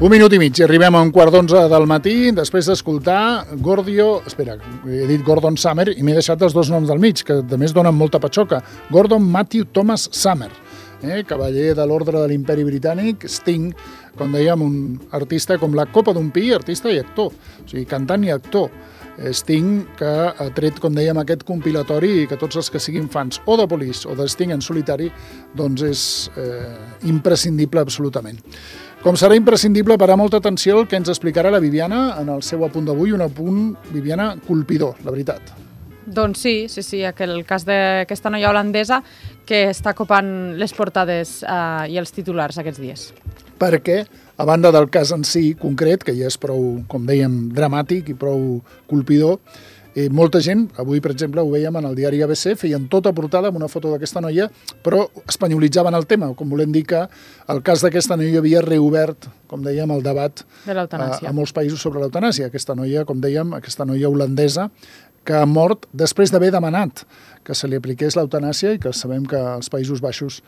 Un minut i mig i arribem a 11:15 del matí després d'escoltar he dit Gordon Summer i m'he deixat els dos noms del mig, que a més donen molta patxoca. Gordon Matthew Thomas Summer, cavaller de l'Ordre de l'Imperi Britànic, Sting, com dèiem, un artista com la copa d'un pi, artista i actor, o sigui, cantant i actor. Sting, que ha tret, com dèiem, aquest compilatori i que tots els que siguin fans o de Police o de Sting en solitari, doncs és imprescindible absolutament. Com serà imprescindible parar molta atenció al que ens explicarà la Viviana en el seu apunt d'avui, un apunt, Viviana, colpidor, la veritat. Doncs sí, el cas d'aquesta noia holandesa que està copant les portades i els titulars aquests dies. Perquè, a banda del cas en si concret, que ja és prou, com dèiem, dramàtic i prou colpidor, molta gent, avui per exemple ho veiem en el diari ABC, feien tota portada amb una foto d'aquesta noia, però espanyolitzaven el tema, com volem dir que el cas d'aquesta noia havia reobert, com dèiem, el debat de l'eutanàsia a molts països sobre l'eutanàsia. Aquesta noia, com dèiem, aquesta noia holandesa, que ha mort després d'haver demanat que se li apliqués l'eutanàsia i que sabem que als Països Baixos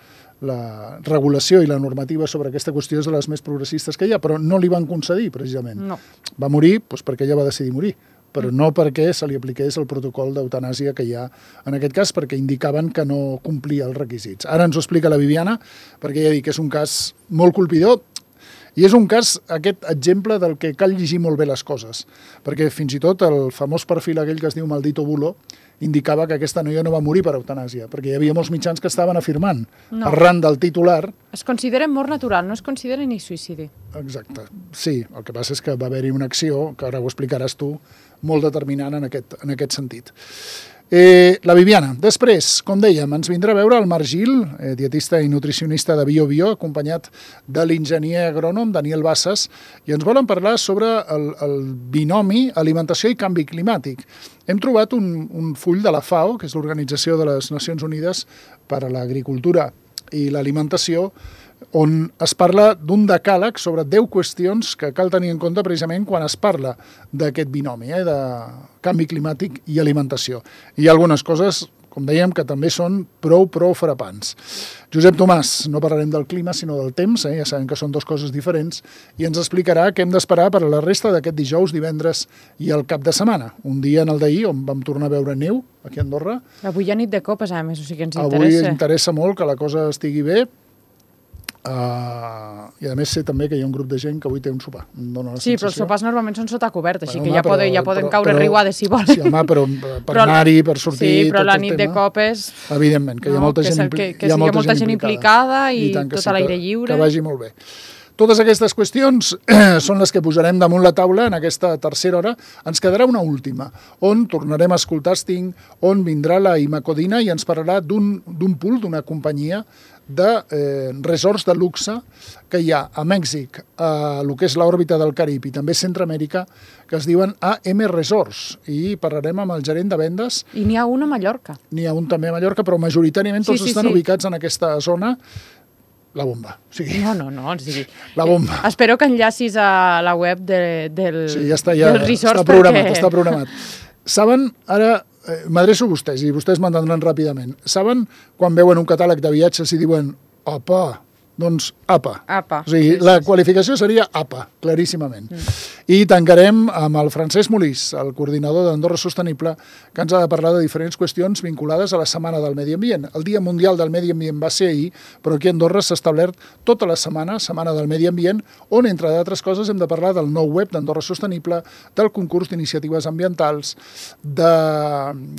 la regulació i la normativa sobre aquesta qüestió és de les més progressistes que hi ha, però no li van concedir, precisament. No. Va morir perquè ella va decidir morir, però no perquè se li apliqués el protocol d'eutanàsia que hi ha en aquest cas, perquè indicaven que no complia els requisits. Ara ens ho explica la Viviana, perquè ja dic que és un cas molt colpidor, i és un cas, aquest exemple del que cal llegir molt bé les coses, perquè fins i tot el famós perfil aquell que es diu Maldito Bulo indicava que aquesta noia no va morir per eutanàsia, perquè hi havia molts mitjans que estaven afirmant, arran del titular... Es considera mort natural, no es considera ni suïcidi. Exacte, sí, el que passa és que va haver-hi una acció, que ara ho explicaràs tu, molt determinant en aquest sentit. La Viviana. Després, com dèiem, ens vindrà a veure el Marc Gil, dietista i nutricionista de Bio, acompanyat de l'enginyer agrònom Daniel Bassas, i ens volen parlar sobre el binomi alimentació i canvi climàtic. Hem trobat un full de la FAO, que és l'Organització de les Nacions Unides per a l'Agricultura i l'Alimentació, on es parla d'un decàleg sobre 10 qüestions que cal tenir en compte precisament quan es parla d'aquest binomi, de canvi climàtic i alimentació. Hi ha algunes coses, com dèiem, que també són prou frapants. Josep Tomàs, no parlarem del clima, sinó del temps, ja sabem que són dues coses diferents, i ens explicarà què hem d'esperar per a la resta d'aquest dijous, divendres i el cap de setmana. Un dia en el d'ahir, on vam tornar a veure neu, aquí a Andorra. Avui hi ha nit de copes, a més, o sigui que ens interessa. Avui ens interessa molt que la cosa estigui bé, i a més sé també que hi ha un grup de gent que avui té un sopar. Sí, però els sopars normalment són sota cobert, així que ja poden caure riuades si volen. Sí, home, però per anar-hi, per sortir... Sí, però la nit de copes... Evidentment, que hi ha molta gent implicada i tot a l'aire lliure. Que vagi molt bé. Totes aquestes qüestions són les que posarem damunt la taula en aquesta tercera hora. Ens quedarà una última, on tornarem a escoltar Sting, on vindrà la Ima Codina i ens parlarà d'un pool, d'una companyia de resorts de luxe que hi ha a Mèxic, a el que és l'òrbita del Carib i també Centroamèrica, que es diuen AM Resorts, i parlarem amb el gerent de vendes. I n'hi ha un a Mallorca. N'hi ha un també a Mallorca, però majoritàriament tots estan ubicats en aquesta zona. La bomba. No, o sigui... La bomba. Espero que enllacis a la web del Sí, ja està programat. Saben, ara m'adreço a vostès i vostès m'entendran ràpidament. Saben quan veuen un catàleg de viatges i diuen apa? Doncs APA. O sigui, la qualificació seria APA, claríssimament. I tancarem amb el Francesc Molís, el coordinador d'Andorra Sostenible, que ens ha de parlar de diferents qüestions vinculades a la Setmana del Medi Ambient. El Dia Mundial del Medi Ambient va ser ahir, però aquí a Andorra s'ha establert tota la Setmana del Medi Ambient, on, entre d'altres coses, hem de parlar del nou web d'Andorra Sostenible, del concurs d'iniciatives ambientals, de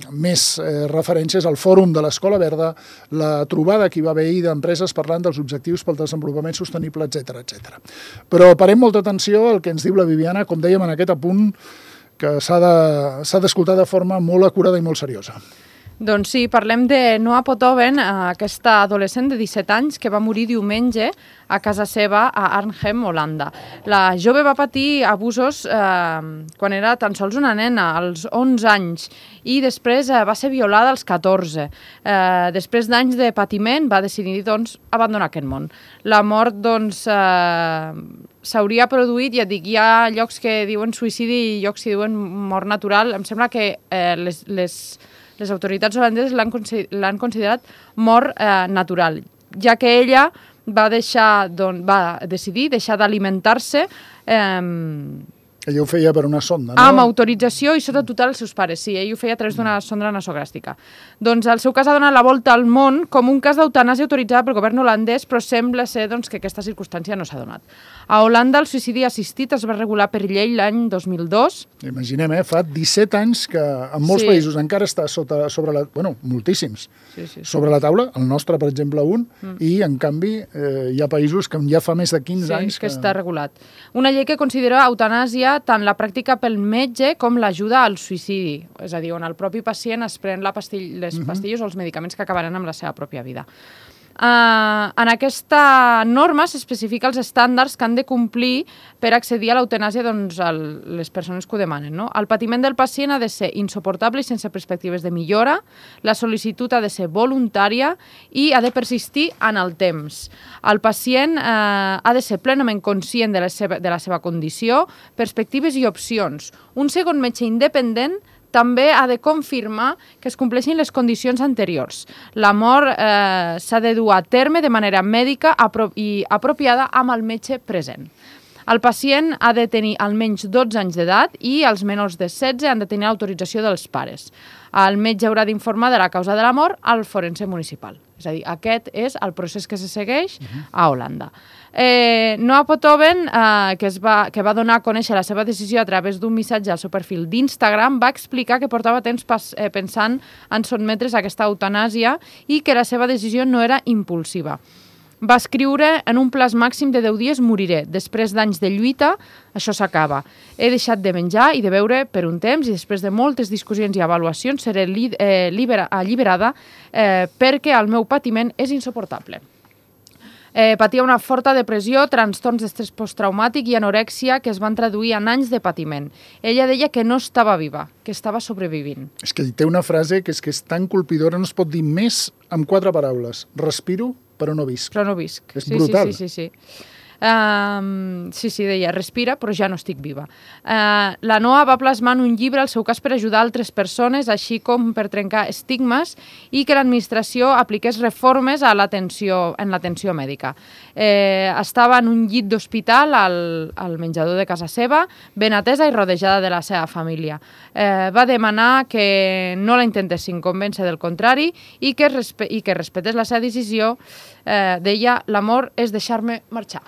més referències al Fòrum de l'Escola Verda, la trobada que hi va haver ahir d'empreses parlant dels objectius pel desenvolupament sostenible, etc. Però parem molta atenció al que ens diu la Viviana, com dèiem en aquest apunt, que s'ha d'escoltar de forma molt acurada i molt seriosa. Doncs sí, parlem de Noa Potoven, aquesta adolescent de 17 anys que va morir diumenge a casa seva a Arnhem, Holanda. La jove va patir abusos quan era tan sols una nena, als 11 anys, i després va ser violada als 14. Després d'anys de patiment va decidir abandonar aquest món. La mort s'hauria produït, ja dic, hi ha llocs que diuen suïcidi i llocs que diuen mort natural. Em sembla que les autoritats holandeses l'han considerat mort natural, ja que ella va decidir deixar d'alimentar-se Ella ho feia per una sonda, no? amb autorització i sota tutela dels seus pares. Sí, ell ho feia a través d'una sonda nasogàstrica. Doncs el seu cas ha donat la volta al món com un cas d'eutanàsia autoritzada pel govern holandès, però sembla ser que aquesta circumstància no s'ha donat. A Holanda el suïcidi assistit es va regular per llei l'any 2002. Imaginem, fa 17 anys que en molts països encara està sobre la... Bueno, moltíssims. Sobre la taula, el nostre, per exemple, i en canvi hi ha països que ja fa més de 15 anys que està regulat. Una llei que considera eutanàsia tant la pràctica pel metge com l'ajuda al suïcidi, és a dir, on el propi pacient es pren les pastilles o els medicaments que acabaran amb la seva pròpia vida. En aquesta norma s'especifica els estàndards que han de complir per accedir a l'eutanàsia les persones que ho demanen. El patiment del pacient ha de ser insuportable i sense perspectives de millora, la sol·licitud ha de ser voluntària i ha de persistir en el temps. El pacient ha de ser plenament conscient de la seva condició, perspectives i opcions. Un segon metge independent també ha de confirmar que es compleixin les condicions anteriors. La mort s'ha de dur a terme de manera mèdica i apropiada amb el metge present. El pacient ha de tenir almenys 12 anys d'edat i els menors de 16 han de tenir l'autorització dels pares. El metge haurà d'informar de la causa de la mort al forense municipal. És a dir, aquest és el procés que se segueix a Holanda. Noah Pothoven, que va donar a conèixer la seva decisió a través d'un missatge al seu perfil d'Instagram, va explicar que portava temps pensant en sotmetre's a aquesta eutanàsia i que la seva decisió no era impulsiva. Va escriure: en un plaç màxim de 10 dies moriré. Després d'anys de lluita, això s'acaba. He deixat de menjar i de beure per un temps i després de moltes discussions i avaluacions seré alliberada perquè el meu patiment és insuportable. Patia una forta depressió, trastorns d'estrès posttraumàtic i anorèxia que es van traduir en anys de patiment. Ella deia que no estava viva, que estava sobrevivint. És que té una frase que és tan colpidora, no es pot dir més amb 4 paraules. Respiro, però no visc. Però no visc. És brutal. Sí, deia, respira, però ja no estic viva. La Noa va plasmar en un llibre el seu cas per ajudar altres persones, així com per trencar estigmes i que l'administració apliqués reformes en l'atenció mèdica. Estava en un llit d'hospital al menjador de casa seva, ben atesa i rodejada de la seva família. Va demanar que no la intentessin convèncer del contrari i que respetés la seva decisió. Deia, l'amor és deixar-me marxar.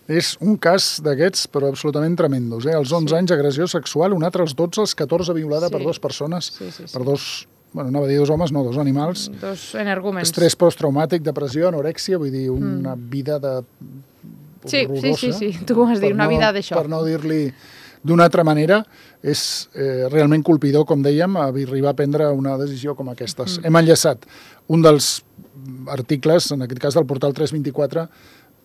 És un cas d'aquests, però absolutament tremendos. Als 11 anys, agressió sexual, un altre als 12, als 14, violada per 2 persones, per 2, anava a dir 2 homes, no, 2 animals. 2 energúmens. Estrès posttraumàtic, depressió, anorèxia, vull dir, una vida horrorosa. Sí, tu ho has dit, una vida d'això. Per no dir-li d'una altra manera, és realment colpidor, com dèiem, arribar a prendre una decisió com aquestes. Hem enllaçat un dels articles, en aquest cas del portal 324,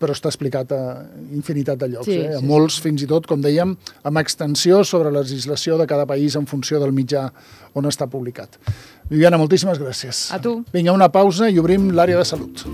però està explicat a infinitat de llocs. A molts, fins i tot, com dèiem, amb extensió sobre la legislació de cada país en funció del mitjà on està publicat. Viviana, moltíssimes gràcies. A tu. Vinga, una pausa i obrim l'àrea de salut.